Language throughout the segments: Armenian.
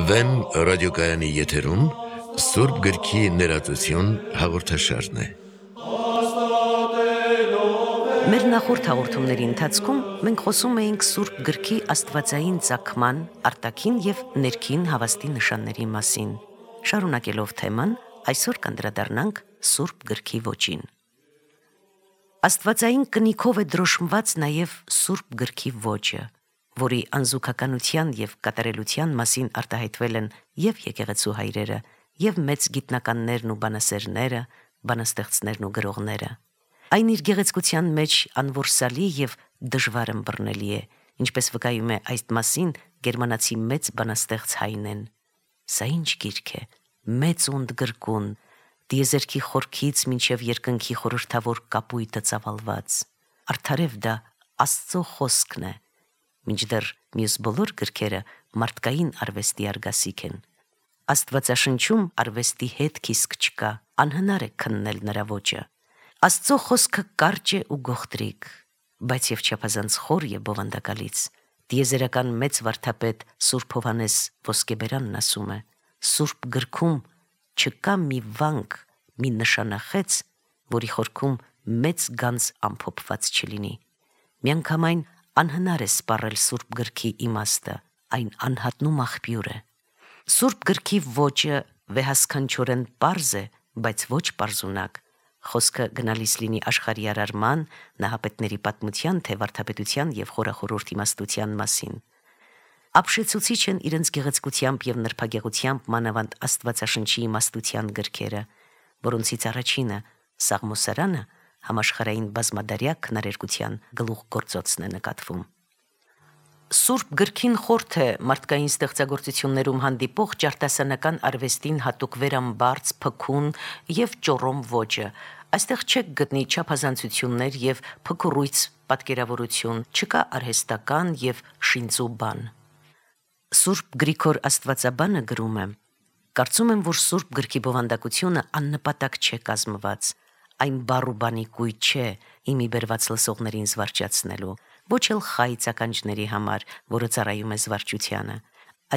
Վեմ ռադիոկայանի եթերում Սուրբ գրքի ներածություն հաղորդաշարն է։ Մեր նախորդ հաղորդումների ընթացքում մենք խոսում էինք Սուրբ գրքի աստվածային ծագման, արտաքին եւ ներքին հավաստի նշանների մասին։ Շարունակելով թեման, այսօր կանդրադառնանք Սուրբ գրքի ոճին։ Աստվածային կնիքով է դրոշմված նաև Սուրբ գրքի ոճը, որի անզուգականության եւ կատարելության մասին արտահայտվել են եւ եկեղեցու հայրերը, եւ մեծ գիտնականներն ու բանասերները, բանաստեղծներն ու գրողները։ Այն իր գեղեցկության մեջ անորսալի եւ դժվար ըմբռնելի է, ինչպես վկայում է այս մասին գերմանացի մեծ բանաստեղծ Հայնեն։ Սա ինչ գիրք է, մեծ ու ընդգրկուն, դիեզերքի խորքից մինչև երկնքի խորհրդավոր կապույտը ծավալված։ Արդարև դա Աստծո խոսքն է, մինչդեռ մյուս բոլոր գրքերը մարդկային արվեստի արգասիկ են։ Աստվածաշնչում արվեստի հետ քիսկ չկա, անհնար է քննել նրա ոճը։ Աստծո խոսքը կարճ է ու գողտրիկ, բայց եւ չափազանց խոր եւ բովանդակալից։ Դիեզերական մեծ վարդապետ Սուրբ Հովհաննես Ոսկեբերանն ասում է. Սուրբ գրքում չկա մի վանք, մի նշանախեց, որի խորքում մեծ գանձ ամփոփված չլինի։ Միանգամայն անհնար է սպառել Սուրբ գրքի իմաստը, այն անհատնում աղբյուր է։ Սուրբ գրքի ոճը վեհասքանչորեն պարզ է, բայց ոչ պարզունակ։ Խոսքը գնալիս լինի աշխարհի արարման, նահապետների պատմության, թե վարդապետության եւ խորախորհուրդ իմաստության մասին։ Ապշեցուցիչ են իրենց գեղեցկությամբ եւ նրբագեղությամբ մանավանդ Աստվածաշնչի իմաստության գրքերը, որոնցից առաջինը Սաղմոսարանը համաշխարհային բազմադարյա քնարերգության գլուխգործոցն է նկատվում։ Սուրբ գրքին խորթ է մարդկային ստեղծագործություններում հանդիպող ճարտասանական արվեստին հատուկ վերամբարձ, փքուն եւ ճոռոմ ոճը։ Այստեղ չեք գտնի չափազանցություններ եւ փքուրույց պատկերավորություն, չկա արհեստական եւ շինծու բան։ Սուրբ Գրիգոր Աստվածաբանը գրում է. Կարծում եմ, որ Սուրբ գրքի բովանդակությունը աննպատակ չէ կազմված։ Այն բառ ու բանի կույտ չէ իմի բերված լսողներին զվարճացնելու, ոչ էլ խայծ ականջների համար, որը ծառայում է զվարճությանը։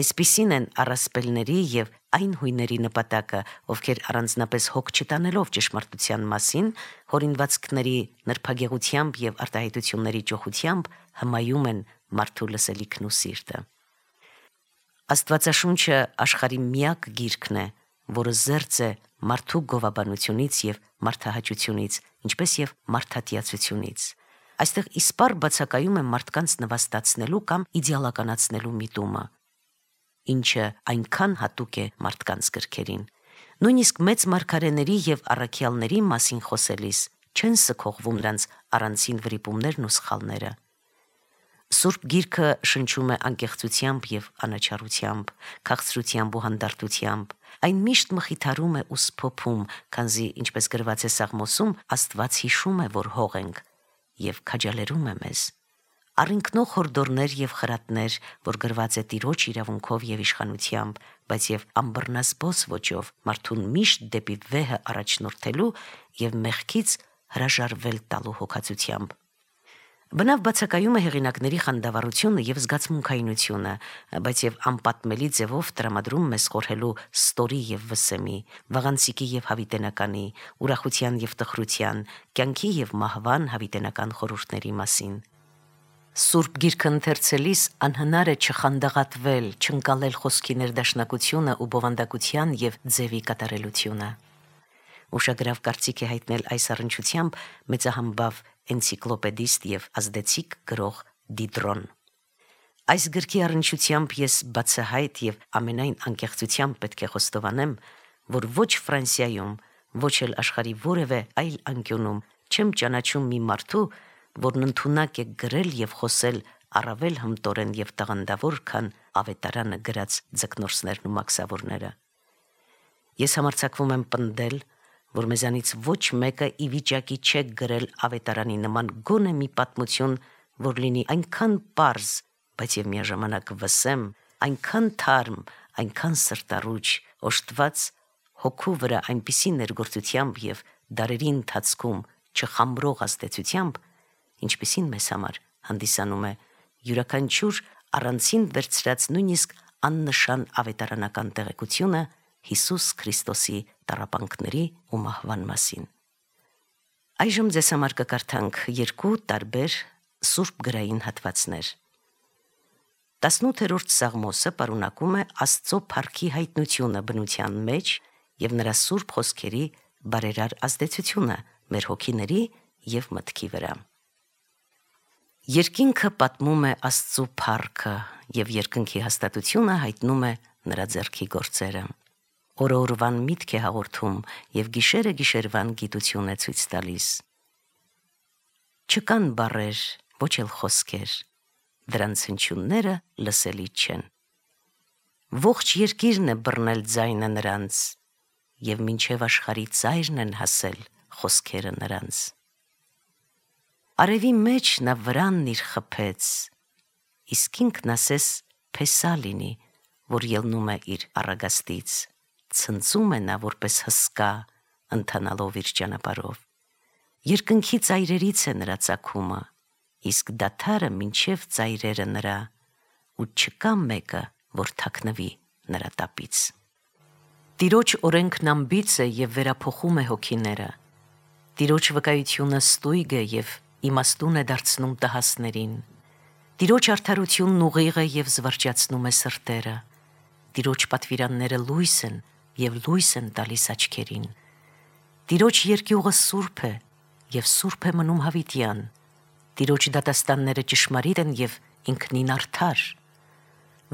Այսպիսին են առասպելների եւ այն հույների նպատակը, ովքեր առանձնապես հոգ չտանելով ճշմարտության մասին, հորինվածքների նրբագեղությամբ եւ արտահայտությունների ճոխությամբ հմայում են մարդու լսելիքն ու սիրտը։ Աստվածաշունչը աշխարհի միակ գիրքն է, որը զերծ է մարդու գովաբանությունից եւ մարդահաճությունից, ինչպես եւ մարդատիացությունից։ Այստեղ իսպառ բացակայում է մարդկանց նվաստացնելու կամ իդեալականացնելու միտումը, ինչը այնքան հատուկ է մարդկանց գրքերին։ Նույնիսկ մեծ մարգարեների եւ առաքյալների մասին խոսելիս չեն սքողվում նրանց առանցին վրիպումներն ու սխալները։ Սուրբ գիրքը շնչում է անկեղծությամբ եւ անաչառությամբ, քաղցրությամբ ու հանդարտությամբ։ Այն միշտ մխիթարում է ու սփոփում, քանզի, ինչպես գրված է Սաղմոսում, Աստված հիշում է, որ հող ենք, եւ քաջալերում է մեզ։ Առինքնող հորդորներ եւ խրատներ, որ գրված է Տիրոջ իրավունքով եւ իշխանությամբ, բայց եւ ամբռնասբոս ոճով, մարդուն միշտ դեպի վեհը առաջնորդելու եւ մեղքից հրաժարվել տալու հոգացությամբ։ Բնավ բացակայում է հեղինակների խանդավառությունը եւ զգացմունքայինությունը, բայց եւ անպատմելի ձևով տրամադրում մեզ խորհելու ստորի եւ վսեմի, վաղանցիկի եւ հավիտենականի, ուրախության եւ տխրության, կյանքի եւ մահվան հավիտենական խորհուրդների մասին։ Սուրբ գիրքը ընթերցելիս անհնար է չխանդաղատվել, չընկալել խոսքի ներդաշնակությունը ու բովանդակության եւ ձևի կատարելությունը։ Ուշագրավ կարծիք է հայտնել այս առնչությամբ մեծահամբավ էնցիկլոպեդիստ եւ ազդեցիկ գրող Դիդրոն։ Այս գրքի առնչությամբ ես բացահայտ եւ ամենայն անկեղծությամբ պետք է խոստովանեմ, որ ոչ Ֆրանսիայում, ոչ էլ աշխարհի որևէ այլ անկյունում չեմ ճանաչում մի մարդու, որն ընդունակ է գրել եւ խոսել առավել հմտորեն եւ տաղանդավոր, քան Ավետարանը գրած ձկնորսներն ու մաքսավորները։ Ես համարձակվում եմ պնդել, որ մեզանից ոչ մեկը ի վիճակի չէ գրել Ավետարանի նման գոնե մի պատմություն, որ լինի այնքան պարզ, բայց եւ միաժամանակ վսեմ, այնքան թարմ, այնքան սրտառուչ, օժտված հոգու վրա այնպիսի ներգործությամբ եւ դարերի ընթացքում չխամրող ազդեցությամբ, ինչպիսին մեզ համար հանդիսանում է յուրաքանչյուր առանցին վերցրած նույնիսկ աննշան ավետարանական տեղեկությունը Հիսուս Քրիստոսի տառապանքների ու մահվան մասին։ Այժմ ձեզ համար կկարդանք երկու տարբեր սուրբ գրային հատվածներ։ 18-րդ Սաղմոսը պարունակում է Աստծո փառքի հայտնությունը բնության մեջ եւ նրա սուրբ խոսքերի բարերար ազդեցությունը մեր հոգիների եւ մտքի վրա։ Երկինքը պատմում է Աստծո փառքը եւ երկնքի հաստատությունը հայտնում է նրա ձեռքի գործերը։ Օրը օրվան միտք է հաղորդում եւ գիշերը գիշերվան գիտություն է ցույց տալիս։ Չկան բառեր, ոչ էլ խոսքեր, դրանց հնչյունները լսելի չեն։ Ողջ երկիրն է բռնել ձայնը նրանց եւ մինչեւ աշխարհի ծայրն են հասել խոսքերը նրանց։ Արևի մեջ նա վրանն իր խփեց, իսկ ինքն ասես փեսա լինի, որ ելնում է իր առագաստից, ցնծում է նա որպես հսկա, ընթանալով իր ճանապարհով։ Երկնքի ծայրերից է նրա ծագումը, իսկ դադարը մինչև ծայրերը նրա, ու չկա մեկը, որ թաքնվի նրա տապից։ Տիրոջ օրենքն ամբից է եւ վերափոխում է հոգիները։ Տիրոջ վկայությունը ստույգ է եւ իմաստուն է դարձնում տհասներին։ Տիրոջ արդարությունն ուղիղ է եւ զվարճացնում է սրտերը։ Տիրոջ պատվիրանները լույս են եւ լույս են տալիս աչքերին։ Տիրոջ երկյուղը սուրբ է եւ սուրբ է մնում հավիտյան։ Տիրոջ դատաստանները ճշմարիտ են եւ ինքնին արդար։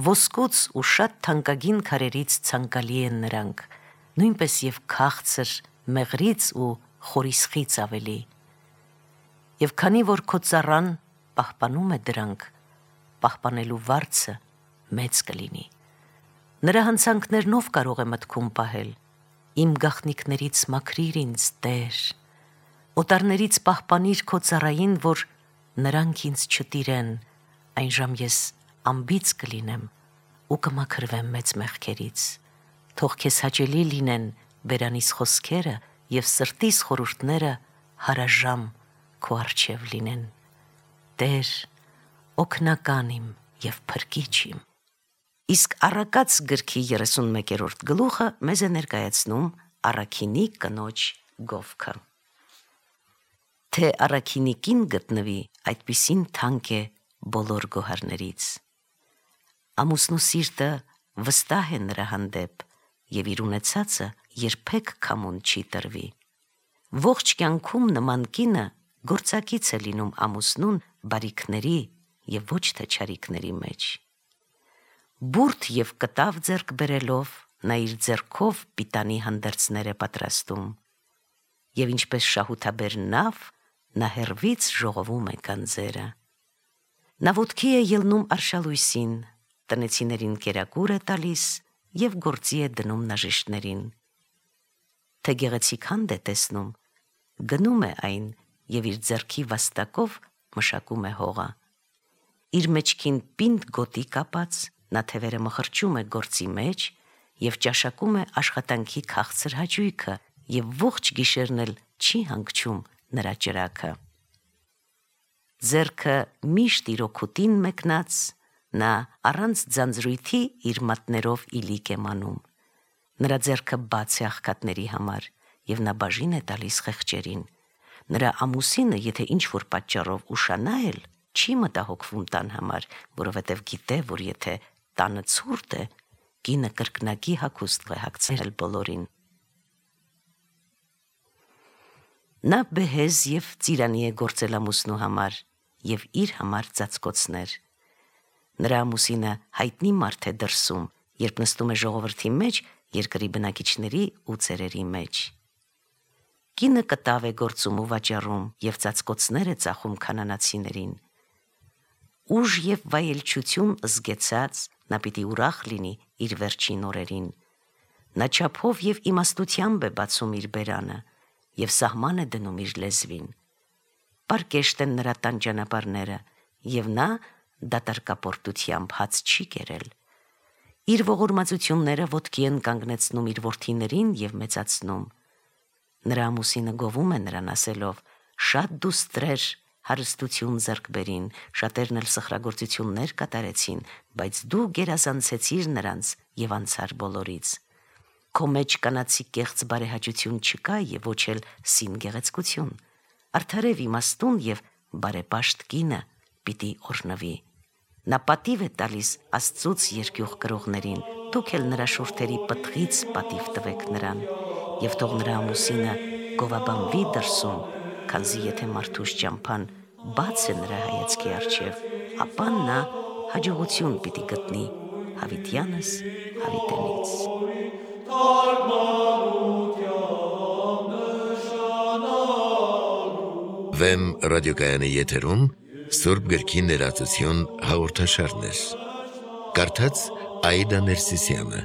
Ոսկուց ու շատ թանկագին քարերից ցանկալի են նրանք, նույնպես եւ քաղցր, մեղրից ու խորիսխից ավելի։ Եվ քանի որ քո ծառան պահպանում է դրանք, պահպանելու վարձը մեծ կլինի։ Նրա հանցանքներն ով կարող է մտքում պահել։ Իմ գաղտնիքներից մաքրիր ինձ, Տեր։ Օտարներից պահպանիր քո ծառային, որ նրանք ինձ չտիրեն, այնժամ ես ամբից կլինեմ ու կմաքրվեմ մեծ մեղքերից։ Թող քեզ հաճելի լինեն բերանիս խոսքերը եւ սրտիս խորհուրդները հարաժամ քո առջև լինեն։ Տեր, օգնական իմ եւ փրկիչ իմ։ Իսկ Առակաց գրքի 31-րդ գլուխը մեզ է ներկայացնում առաքինի կնոջ գովքը։ Թե առաքինի կին գտնվի, այդպիսին թանկ է բոլոր գոհարներից։ Ամուսնու սիրտը վստահ է նրա հանդեպ եւ իր ունեցածը երբեք քամուն չի տրվի։ Ողջ կյանքում նման կինը գործակից է լինում ամուսնուն բարիքների եւ ոչ թե չարիքների մեջ։ Բուրդ եւ կտավ ձեռք բերելով նա իր ձեռքով պիտանի հանդերձներ է պատրաստում եւ ինչպես շահութաբեր նավ նա հեռվից ժողովում է գանձերը։ Նա ոտքի է ելնում արշալույսին, տնեցիներին կերակուր է տալիս եւ գործի է դնում նաժիշտներին։ Թե գեղեցիկ հանդ է տեսնում, գնում է այն եւ իր ձեռքի վաստակով մշակում է հողը։ Իր մեջքին պինդ գոտի կապած նա թևերը մխրճում է գործի մեջ եւ ճաշակում է աշխատանքի քաղցր հաճույքը եւ ողջ գիշերն էլ չի հանգչում նրա ճրակը։ Ձեռքը միշտ իր օգուտին մեկնած նա առանց ձանձրույթի իր մատներով իլիկ է մանում։ Նրա ձեռքը բաց է աղքատների համար եւ նա բաժին է տալիս խեղճերին։ Նրա ամուսինը, եթե ինչ-որ պատճառով ուշանա էլ, չի մտահոգվում տան համար, որովհետև գիտե, որ եթե տանը ցուրտ է, կինը կրկնակի հագուստ է հագցել բոլորին։ Նա բեհեզ եւ ծիրանի է գործել ամուսնու համար եւ իր համար ծածկոցներ։ Նրա ամուսինը հայտնի մարդ է դրսում, երբ նստում է ժողովրդի մեջ, երկրի բնակիչների ու ծերերի մեջ։ Կինը կտավ է գործում ու վաճառում եւ ծածկոցներ է ծախում քանանացիներին։ Ուժ եւ վայելչություն զգեցած նա պիտի ուրախ լինի իր վերջին օրերին։ Նա չափով եւ իմաստությամբ է բացում իր բերանը եւ սահման է դնում իր լեզվին։ Պարկեշտ են նրա տան ճանապարհները եւ նա դատարկապորտությամբ հաց չի կերել։ Իր ողորմածությունները ոտքի են կանգնեցնում իր որդիներին եւ մեծացնում։ Նրա ամուսինը գովում է նրան ասելով. «Շատ դու ստրեր, հարստություն ձեռք բերին, շատերն էլ սխրագործություններ կատարեցին, բայց դու գերազանցեցիր նրանց եւ անցար բոլորից։ Քո մեջ կանացի կեղծ բարեհաճություն չկա եւ ոչ էլ սին գեղեցկություն։ Արդարև իմաստուն եւ բարեպաշտ կինը պիտի օրհնվի։ Նա պատիվ է տալիս Աստծուց երկյուղ կրողներին, դուք էլ նրա շուրթերի պտղից պատիվ տվեք նրան, եւ թող նրա ամուսինը գովաբանվի դրսում, քանզի եթե մարդուս ճամփան բաց է նրա հայացքի առջև, ապա նա հաջողություն պիտի գտնի հավիտյանս հավիտենից։ Վեմ ռադիոկայանի եթերում Սուրբ գրքի ներածություն հաղորդաշարներ։ Կարդաց Աիդա Ներսիսյանը։